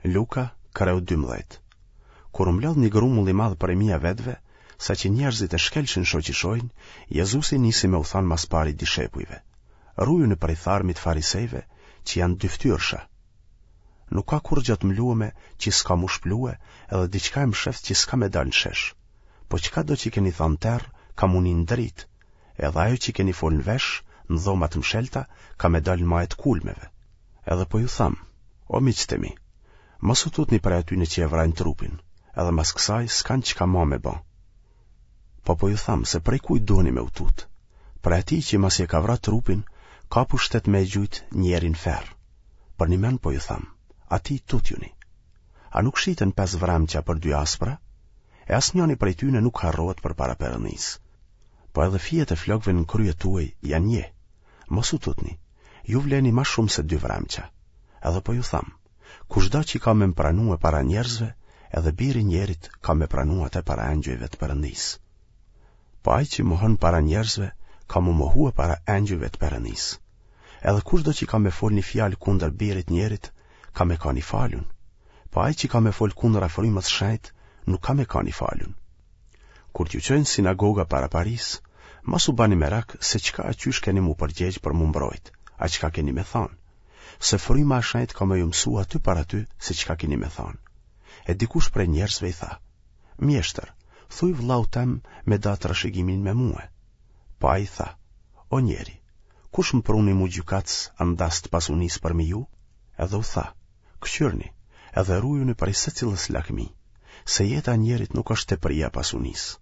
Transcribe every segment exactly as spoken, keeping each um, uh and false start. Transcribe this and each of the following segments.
Luka, kreu dymbëdhjetë. Kur u mblodh një grumbull i madh prej mija vetëve, saqë njerëzit e shkelshin shoqishojnë, Jezusi nisi me u thanë mas pari dishepujve, Rujuni prej tharmit farisejve, që janë dyftyrësha. Nuk ka kurrgja të mlueme që s'ka m'u shplue, edhe diçka e msheftë që s'ka me dalë në shesh. Po çkado që keni thanë n'terr, ka m'u ni në dritë, edhe ajo që keni folë në vesh, në dhoma të mshelta, ka me dalë në maje të kulmeve. Edhe po ju tham, o miqtë e mi, mos u tutni prej atyne që e vrajnë trupin, edhe mas kësaj s'kanë çka ma me ba. Po po ju tham se prej kujt duheni me u tut, prej atij që masi e ka vra trupin, ka pushtet me e gjujt njerin n'ferr. Përnjëmend po ju tham, atij tutjuni. A nuk shiten pesë vramqa për dy aspra? E asnjani prej tyne nuk harrohet përpara Perëndisë. Po edhe fijet e flokëve në krye tuaj janë nje. Mos u tutni, ju vleni ma shumë se dy vramqa. Edhe po ju tham, kushdo që ka me më pranue para njerëzve, edhe Biri i njerit ka me pranu atë para engjëjve të Perëndisë. Po ai që mohon para njerëzve, ka m'u mohue para engjëjve të Perëndisë. Edhe kushdo që ka me fol një fjalë kundër Birit njerit, ka me kanë i falun. Po ai që ka me fol kundra Frymës Shenjtë, nuk ka me kanë i falun. Kur t'ju çojnë sinagoga para parisë, mos u bani merak se çka e qysh keni m'u përgjegj për m'u mbrojt, a çka keni me thanë, se Fryma e Shenjtë ka me ju mësu aty për aty se çka keni me thanë. E dikush prej njerëzve i tha, Mjeshtër, thuj vëllaut tem me da trashëgiminë me mue. Po ai tha, O njeri, kush më pruni mu gjykatës a ndas të pasunisë përmi ju? Edhe u tha, Këqyrni, edhe rujuni prej secilës lakmi, se jeta e njerit nuk është tepria e pasunisë.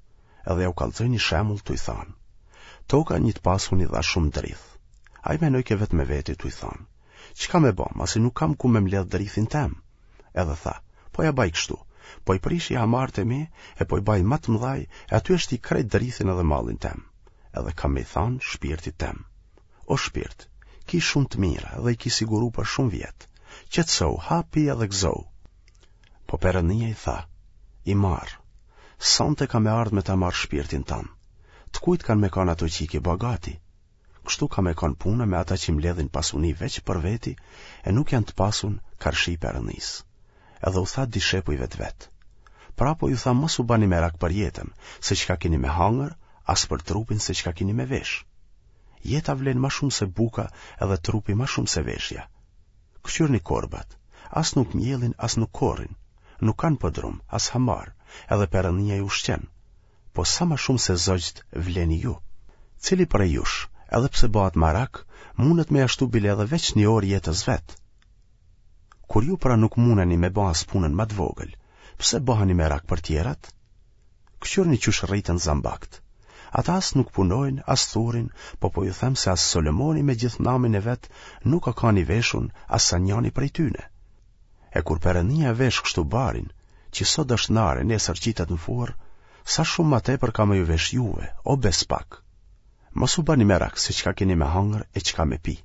Edhe jau kallxoi një shembull tuj thanë, Toka e një të pasuni dha shumë drithë. Ai menojke vetmeveti tuj thanë, Çka me ba, masi nuk kam ku me mbledh drithin tem? Edhe tha, Po ja baj kështu, po i prishi hamarët e mi e po i baj ma të mëdhaj e aty e shti krejt drithin edhe mallin tem. Edhe kam me i thanë shpirtit tem, O shpirt, ki shumë të mira dhe i ki siguru për shumë vjet. Qetësohu, ha, pi edhe gëzohu. Po Perëndia i tha, I marrë, sonte ka me ardhë me ta marrë shpirtin tand. Të kujt kanë me kanë ato që i ke ba gati? Kështu ka me kanë puna me ata që mbledhin pasuni veç për veti e nuk janë të pasun karshi Perëndisë. Edhe u tha dishepujve të vet, Pra po ju tham mos u bani merak për jetën, se çka keni me hangër, as për trupin se çka keni me veshë. Jeta vlen ma shumë se buka edhe trupi ma shumë se veshja. Këqyrni korbat, as nuk mjelin, as nuk korrin, nuk kanë podrum, as hamar, edhe Perëndia i ushqen. Po sa ma shumë se zogjtë vleni ju? Cili prej jush, edhe pse bëhet marak, mundet me ia shtu bile edhe veç një orë jetës vet? Kur ju pra nuk muneni me ba as punën ma të vogël, pse bëheni merak për tjerat? Këqyrni qysh rriten zambakët. Ata as nuk punojnë, as thurin, po po ju them se as Solomoni me gjithë namin e vet nuk ka kanë i veshun as sa njani prej tyne. E kur Perëndia e vesh kështu barin, që sot është n'arë e nesër qitet në furrë, sa shumë ma tepër ka me ju vesh juve, o bespak. Mos u bani merak se çka keni me hangër e çka me pi,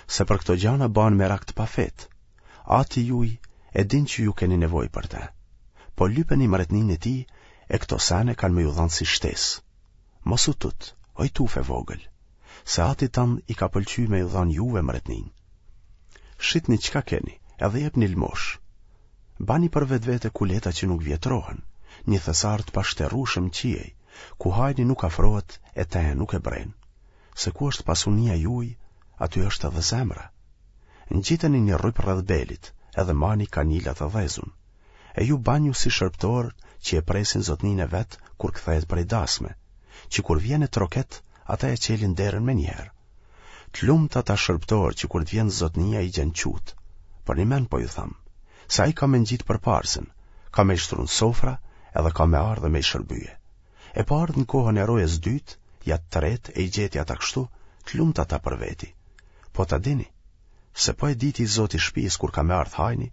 se për këto gjana bahen merak të pafetë. Ati juj e din që ju keni nevojë për te. Po lypeni mretninë e tij e këto sene kanë me ju dhanë si shtesë. Mos u tut, oj tufë e vogël, se atit tand i ka pëlqy me ju dhanë juve mretninë. Shitni çka keni, edhe jepni lëmoshë. Bani për vetvete kuleta që nuk vjetrohen, një thesar të pashterrueshëm në qiej, ku hajni nuk afrohet e teha nuk e bren. Se ku është pasunia juaj, aty është edhe zemra. Ngjiteni një rryp rreth belit, edhe mani kanila të dhezun. E ju banju si shërbëtorë që e presin zotninë e vet kur kthehet prej dasme, që kur vjen e troket, ata ia çelin derën menjëherë. Të lumtë ata shërbëtorë që kur të vjen zotnia i gjen çutë. Përnjëmend po ju tham, se ai ka me ngjit përparësen, ka me i shtru në sofra edhe ka me ardhë me i shërbye. E po ardhë në kohën e rojës dytë, ja të tretë e i gjeti ata kështu, të lumtë ata për veti. Po ta dini, se po e diti i zoti shpisë kur ka me ardhë hajni,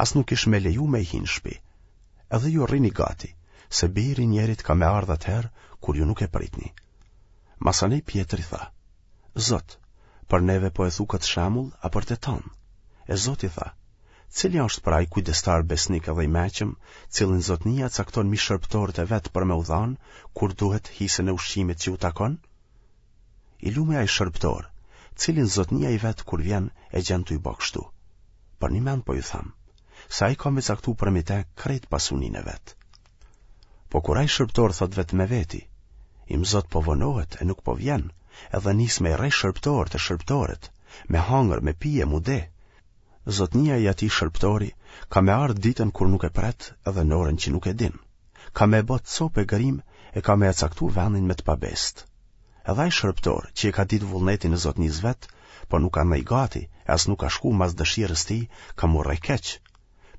as nuk kish me leju me i hi në shpi. Edhe ju rrini gati, se biri i njerit ka me ardhë atëherë kur ju nuk e pritni. Masanej Pjetri tha, Zot, për neve po e thu këtë shembull a për të tanë? E Zoti tha, cili është pra ai kujdestar besnik edhe i meçëm, cilin zotnia cakton mi shërbëtorët e vet për me u dhanë, kur duhet hisën e ushqimit që u takon? I lumi ai shërbëtor, cilin zotnia i vet kur vjen e gjen tuj ba kështu. Përnjëmend po ju tham, se ai ka me caktu përmi te krejt pasuninë e vet. Po kur ai shërbëtor thot vetëmeveti, im zot po vonohet e nuk po vjen, edhe nis me i rreh shërbëtorët e shërbëtoret, me hangër, me pi e m'u deh, zotnia i atij shërbëtori ka me ardhë ditën kur nuk e pret edhe në orën që nuk e din, ka me e bo copë e grimë e ka me e caktu vendin me të pabesët. Edhe ai shërbëtor që e ka ditë vullnetin e zotnisë vet, po nuk ka ndej gati e as nuk ka shku mas dëshirës tij, ka m'u rreh keq.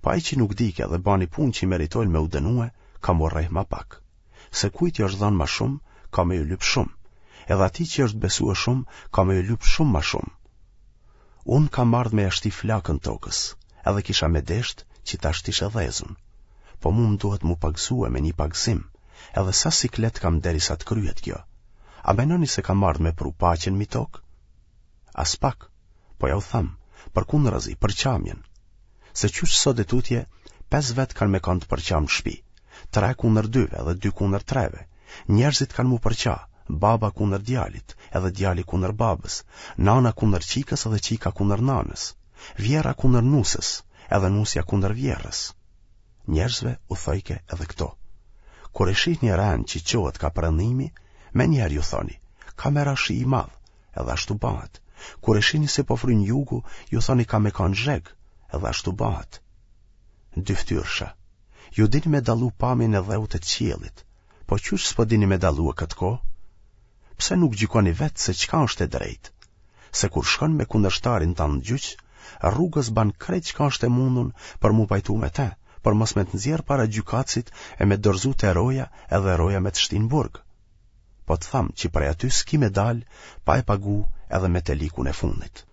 Po ai që nuk dike dhe bani punë që meritojnë me u dënue, ka m'u rreh ma pak. Se kujt i është dhënë ma shumë, ka me ju lyp shumë. Edhe atij që është besue shumë, ka me ju lyp shumë ma shumë. Unë kam ardhë me ja shti flakën tokës, edhe kisha me desht që tash t'ishe dhezun. Po mu më duhet mu pagëzue me një pagëzim, edhe sa siklet kam derisa të kryhet kjo. A menoni se kam ardhë me pru paqen mi tokë? Aspak, po ja u tham, përkundrazi, përçamjen. Se qysh sot e tutje, pesë vetë kanë me kanë të përçam në shpi, tre kundër dyve dhe dy kundër treve. Njerëzit kanë mu përça, baba kundër djalit, edhe djali kundër babës, nana kundër qikës edhe qika kundër nanës, vjerra kundër nusës, edhe nusja kundër vjerrës. Njerëzve u thojke edhe këto. Kur e shihni renë që çohet ka perëndimi, menjëherë ju thoni, ka me ra shi i madh, edhe ashtu bëhet. Kur e shihni se po fryn jugu, ju thoni ka me kanë zheg, edhe ashtu bëhet. Dyftyrsha, ju dini me dallu pamjen e dheut e të qiellit, po qysh s'po dini me dallu e këtë kohë? Pse nuk gjykoni vetë se çka është e drejtë? Se kur shkon me kundërshtarin tënd në gjyq, rrugës ban krejt çka është e mundun për mu pajtu me te, për mos me të nxjerr para gjykatësit e me dorëzu te roja edhe roja me të shti në burg. Po të tham që prej aty s'ki me dal pa e pagu edhe metelikun e fundit.